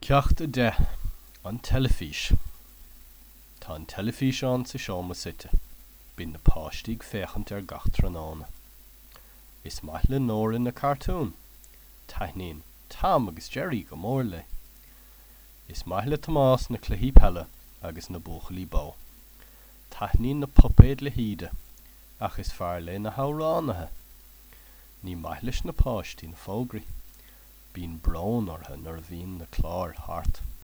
Ceacht 10, An Teilifís Tá an teilifíseán sa seomra suite. Bíonn na páistí ag féachaint air gach tráthnóna. Is maith le Nóra na cartúin. Taitníonn Tom agus Jerry go mór léi. Is maith le Tomás na cluichí peile agus na buachaillí bó. Taitníonn na puipéid le hÍde, ach is fearr léi na hamhránaithe. Ní maith leis na páistí na fógraí. Bíonn brón orthu nuair a bhíonn na cláir thart.